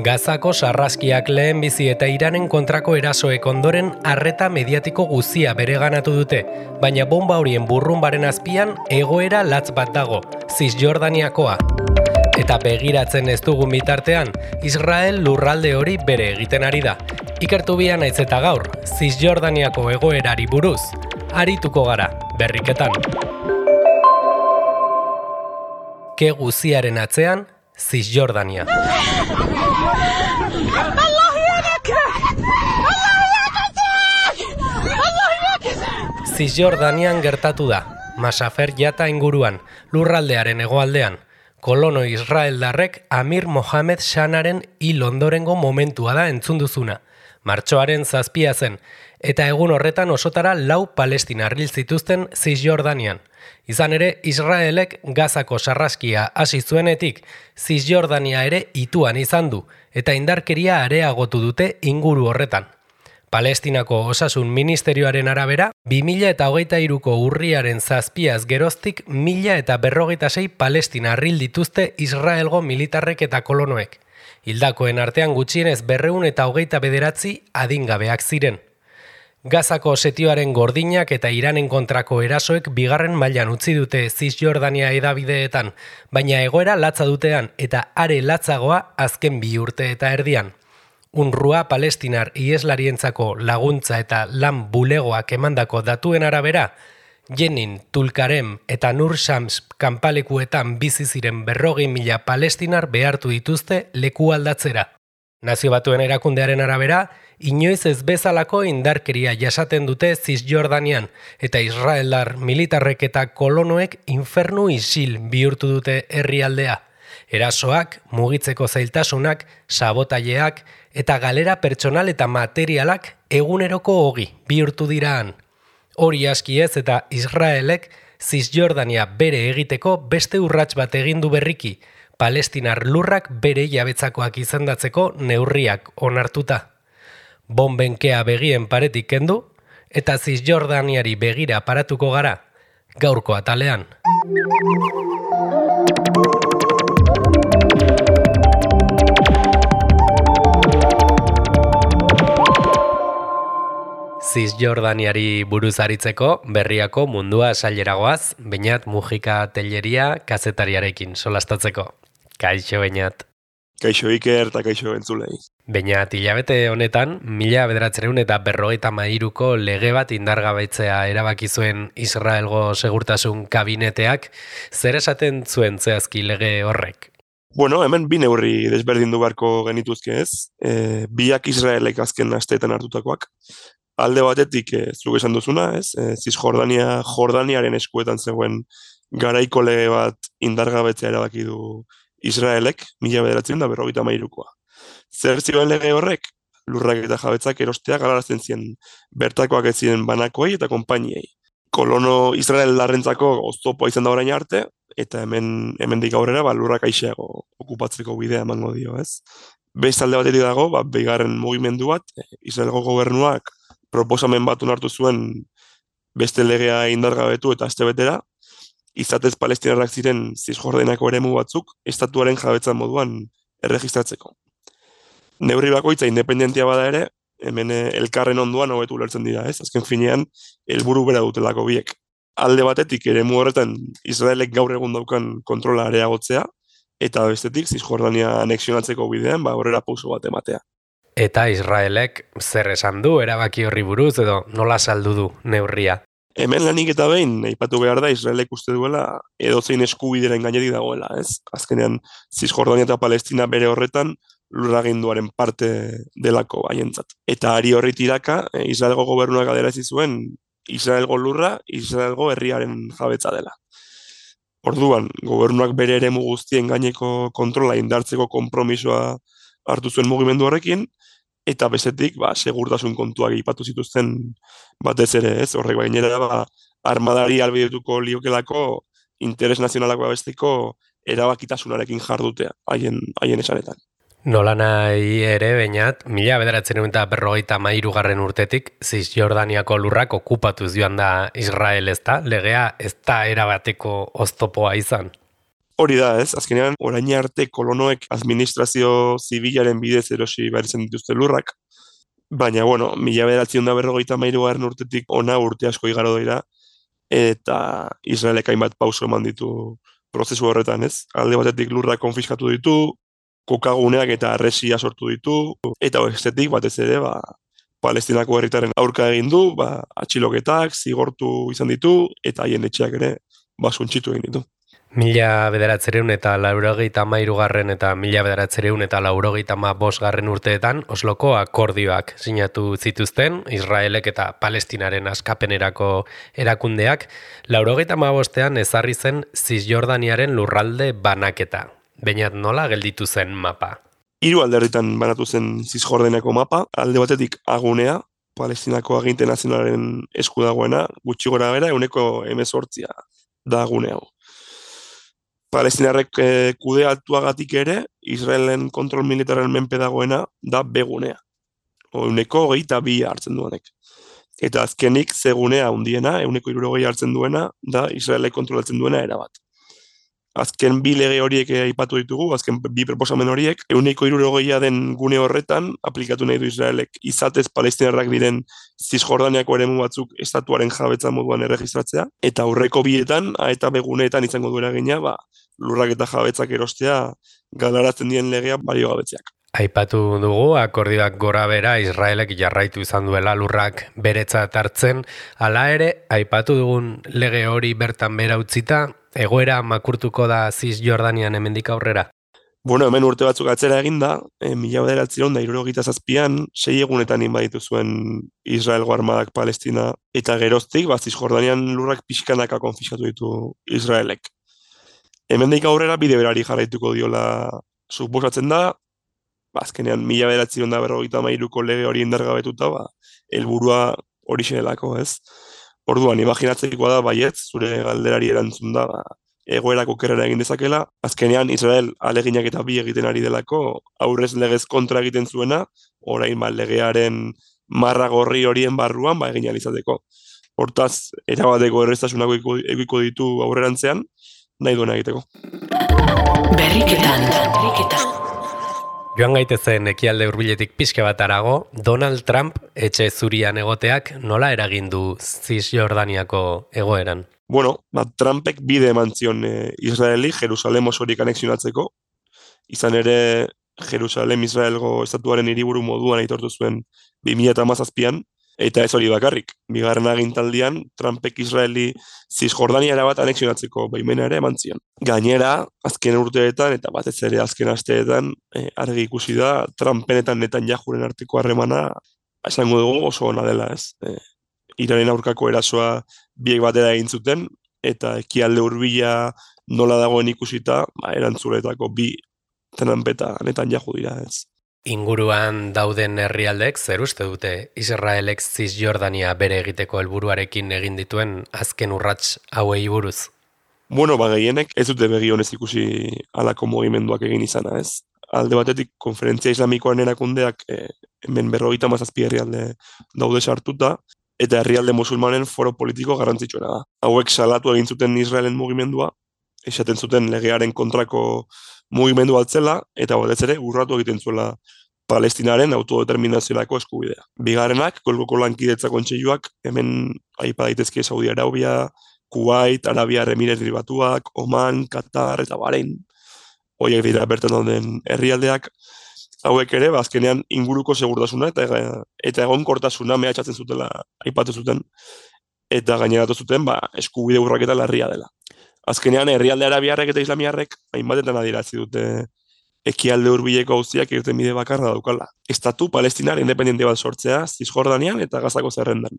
Gazako sarraskiak lehenbizi eta Iranen kontrako erasoek ondoren arreta mediatiko guzia bereganatu dute, baina bomba horien burrunbaren azpian egoera latz bat dago, Zisjordaniakoa. Eta begiratzen ez dugun bitartean, Israel lurralde hori bere egiten ari da. Ikertu bia naiz eta gaur, Zisjordaniako egoerari buruz, arituko gara, berriketan. Ke guziaren atzean, Zisjordania. Zisjordanian gertatu da, Masafer Jata inguruan, lurraldearen hegoaldean. Kolono israeldarrek Amir Mohamed Shanaren hil ondorengo momentua da entzun duzuna. Martxoaren 7 zen, eta egun horretan osotara 4 palestinar hil zituzten Zisjordanian. Izan ere, Israelek Gazako sarraskia hasi zuenetik, Zisjordania ere ituan izan du, eta indarkeria areagotu dute inguru horretan. Palestinako Osasun Ministerioaren arabera, 2023ko urriaren 7az geroztik 1056 palestina hil dituzte Israelgo militarrek eta kolonoek. Hildakoen artean gutxienez 229 adingabeak ziren. Gazako setioaren gordinak eta Iranen kontrako erasoek bigarren mailan utzi dute Zisjordania hedabideetan, baina egoera latza dutean eta are latzagoa azken 2 urte eta erdian. UNRWA palestinar iheslarientzako laguntza eta lan bulegoak emandako datuen arabera, Jenin, Tulkarem eta Nur Shams kanpalekuetan bizi ziren 40.000 palestinar behartu dituzte leku aldatzera. Nazio Batuen erakundearen arabera, inoiz ez bezalako indarkeria jasaten dute Zisjordanian, eta israeldar militarrek eta kolonoek infernu isil bihurtu dute herrialdea. Erasoak, mugitzeko zailtasunak, sabotaileak eta galera pertsonal eta materialak eguneroko ogi bihurtu diraan. Hori aski ez eta Israelek Zisjordania bere egiteko beste urrats bat egin du berriki, palestinar lurrak bere jabetzakoak izendatzeko neurriak onartuta. Bonbenkea begien paretik kendu eta Zisjordaniari begira paratuko gara, gaurko atalean. Zisjordaniari buruz aritzeko berriako mundua saileragoaz, Beñat Mujika Telleria kazetariarekin solastatzeko. Kaixo, Beñat. Kaixo Iker eta kaixo entzulei. Beñat, hilabete honetan, 1953ko lege bat indargabetzea erabaki zuen Israelgo segurtasun kabineteak, zer esaten zuen zehazki lege horrek? Bueno, hemen 2 neurri desberdindu beharko genituzke ez, biak Israelek azken asteetan hartutakoak. Alde batetik, zuk esan duzuna, ez? Jordaniaren eskuetan zegoen garaiko lege bat indargabetzea erabaki du Israelek, 1953koa. Zer zioen lege horrek? Lurrak eta jabetzak erostea galarazten ziren bertakoak ez ziren banakoei eta konpainiei. Kolono Israeldarrentzako oztopoa izan da orain arte, eta hemendik aurrera lurrak aixeago okupatzeko bidea emango dio, ez? Beste alde batetik dago, bigarren mugimendu bat, Israelgo gobernuak proposamen bat onartu zuen beste legea indargabetu eta astebetera, izatez palestinarrak ziren Zisjordaniako eremu batzuk estatuaren jabetza moduan erregistratzeko. Neurri bakoitza independentia bada ere, hemen elkarren onduan hobetu ulertzen dira, ez? Azken finean, helburu bera dutelako biek. Alde batetik eremu horretan Israelek gaur egun daukan kontrola areagotzea, eta bestetik Zisjordania anexionatzeko bidean aurrera pauso bat ematea. Eta Israelek zer esan du erabaki horri buruz edo nola saldu du neurria? Hemen lanik eta behin, aipatu behar da, Israelek uste duela edozein eskubideren gainetik dagoela, ez? Azkenean, Zisjordania eta Palestina bere horretan lurraginduaren parte delako haientzat. Eta ari horri tiraka, Israelgo gobernuak adierazi zuen Israelgo lurra, Israelgo herriaren jabetza dela. Orduan, gobernuak bere eremu guztien gaineko kontrola indartzeko konpromisoa hartu zuen mugimendu horrekin, eta bestetik, segurtasun kontuak aipatu zituzten batez ere, ez? Horrek gainera, armadari albidetuko liokelako interes nazionalak babesteko erabakitasunarekin jardutea, haien esanetan. Nolanahi ere, Beñat, 1953 urtetik, Zisjordaniako lurrak okupatuz joan da Israel, ez da? Legea ez da erabateko oztopoa izan. Hori da, ez? Azkenean, orain arte kolonoek administrazio zibilaren bidez erosi behar izan dituzte lurrak, baina, bueno, 1953 urtetik ona urte asko igaro dira, eta Israelek hainbat pauso eman ditu prozesu horretan, ez? Alde batetik lurrak konfiskatu ditu, kokaguneak eta arresia sortu ditu, eta bestetik batez ere, Palestinako herritaren aurka egin du, atxiloketak, zigortu izan ditu, eta haien etxeak ere, suntxitu egin ditu. 1983 eta 1985 urteetan Osloko akordioak sinatu zituzten Israelek eta Palestinaren askapenerako erakundeak. 85ean ezarri zen Zisjordaniaren lurralde banaketa. Beñat, nola gelditu zen mapa? 3 alderritan banatu zen Zisjordaniako mapa, alde batetik agunea, Palestinako aginte nazionalaren esku dagoena, gutxi gora bera, 18% da agune hau. Palestinarrek kudeatuagatik ere, Israelen kontrol militaren menpe dagoena da begunea. 122 hartzen duenek. Eta azkenik zegunea hundiena, 160 hartzen duena, da Israelek kontrolatzen duena erabat. Azken 2 lege horiek aipatu ditugu, azken 2 proposamen horiek, 160 den gune horretan aplikatu nahi du Israelek izatez palestinarrak diren Zisjordaniako eremu batzuk estatuaren jabetza moduan erregistratzea, eta aurreko 2etan, eta beguneetan izango du eragina, lurrak eta jabetzak erostea galaratzen dien legea balio gabetzeak. Aipatu dugu, akordioak gora bera Israelek jarraitu izan duela lurrak beretzat hartzen, hala ere, aipatu dugun lege hori bertan bera utzita, egoera makurtuko da Zisjordanian hemendik aurrera? Bueno, hemen urte batzuk atzera eginda, 1977an 6 egunetan inbaditu zuen Israelgo armadak Palestina, eta geroztik, Zisjordanian lurrak pixkanaka konfiskatu ditu Israelek. Hemendik aurrera bide berari jarraituko diola suposatzen da, azkenean 1953ko lege hori indargabetuta, helburua horixe delako, ez? Orduan, imaginatzekoa da baietz, zure galderari erantzun da, egoerako kerrera egin dezakela, azkenean Israel aleginak eta bi egiten ari delako, aurrez legez kontra egiten zuena, orain legearen marra gorri horien barruan egin alizateko. Hortaz, erabateko erreztasunako egiko ditu aurrerantzean, nahi duena egiteko. Berriketan. Joan gaitezen ekialde hurbiletik pixke bat arago, Donald Trump etxe zurian egoteak nola eragin du Zisjordaniako egoeran? Bueno, Trumpek bide eman zion Israeli Jerusalem osorik anexionatzeko, izan ere Jerusalem Israelgo estatuaren hiriburu moduan aitortu zuen 2017an, eta ez hori bakarrik. Bigarren agintaldian, Trumpek Israeli Zisjordania bat anexionatzeko baimena ere eman zion. Gainera, azken urteetan eta batez ere azken asteetan argi ikusi da Trumpen eta Netanyahuren arteko harremana esango dugu oso ona dela, ez? Iranen aurkako erasoa biek batera egin zuten, eta ekialde hurbila nola dagoen ikusita, erantzuletako bi Trump eta Netanyahu dira, ez? Inguruan dauden herrialdek zer uste dute Israelek Zisjordania bere egiteko helburuarekin egin dituen azken urrats hauei buruz? Bueno, gehienek ez dute begi honez ikusi halako mugimenduak egin izana, ez? Alde batetik, konferentzia islamikoaren erakundeak hemen 57 herrialde daude sartuta, eta herrialde musulmanen foro politiko garrantzitsuena da. Hauek salatu egin zuten Israelen mugimendua, esaten zuten legearen kontrako mugimendu altzela, eta batez ere urratu egiten zuela Palestinaren autodeterminaziorako eskubidea. Bigarrenak, Golkoko lankidetza kontseiluak, hemen aipa daitezke Saudi Arabia, Kuwait, Arabia Emirateri Batuak, Oman, Qatar eta Bahrein. Horiek dira bertan dauden herrialdeak, hauek ere, azkenean inguruko segurtasuna eta egonkortasuna mehatxatzen zutela aipatu zuten, eta gaineratu zuten eskubide urraketa larria dela. Azkenean, herrialde arabiarrek eta islamiarrek hainbatetan adierazi dute ekialde hurbileko auziak irten bide bakarra daukala. Estatu Palestinar independente bat sortzea Zisjordanian eta Gazako zerrendan.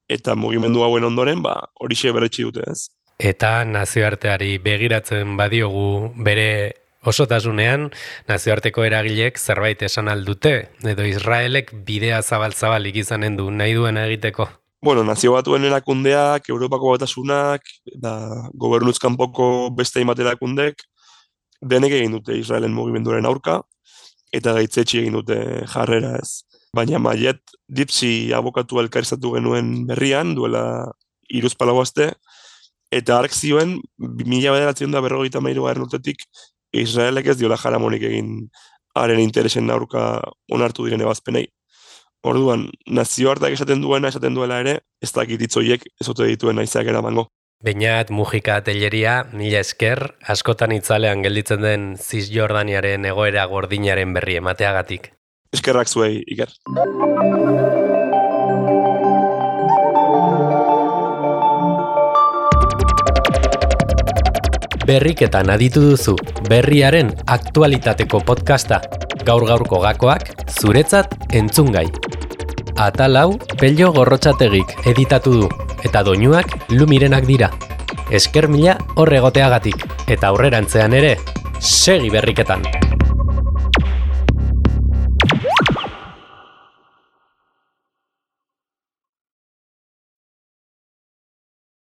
Eta mugimendu hauen ondoren, horixe berretsi dute, ez? Eta nazioarteari begiratzen badiogu bere osotasunean, nazioarteko eragilek zerbait esan aldute, edo Israelek bidea zabal-zabalik izanen du nahi duena egiteko? Bueno, nazio batuen erakundeak, Europako batasunak, gobernuz kanpoko beste hainbat erakundek, denek egin dute Israelen mugimenduaren aurka, eta gaitzetsi egin dute jarrera, ez. Baina Mayet Dipsi abokatu elkarrizatu genuen berrian, duela 3-4 aste, eta hark zioen, 1953 urtetik, Israelek ez diola jaramonik egin haren interesen aurka onartu diren ebazpenei. Orduan, nazioarteak esaten duela ere, ez dakit hitzoiek ez ote dituen naizak eramango. Beñat Mujika Telleria, mila esker, askotan itzalean gelditzen den Cisjordaniaren egoera gordinaren berri emateagatik. Eskerrak zuei, Iker. Berriketan aditu duzu, berriaren aktualitateko podcasta. Gaur-gaurko gakoak, zuretzat entzungai. Atal hau, Pello Gorrotxategik editatu du, eta doinuak Lumirenak dira. Esker mila hor egoteagatik, eta aurrerantzean ere, segi berriketan.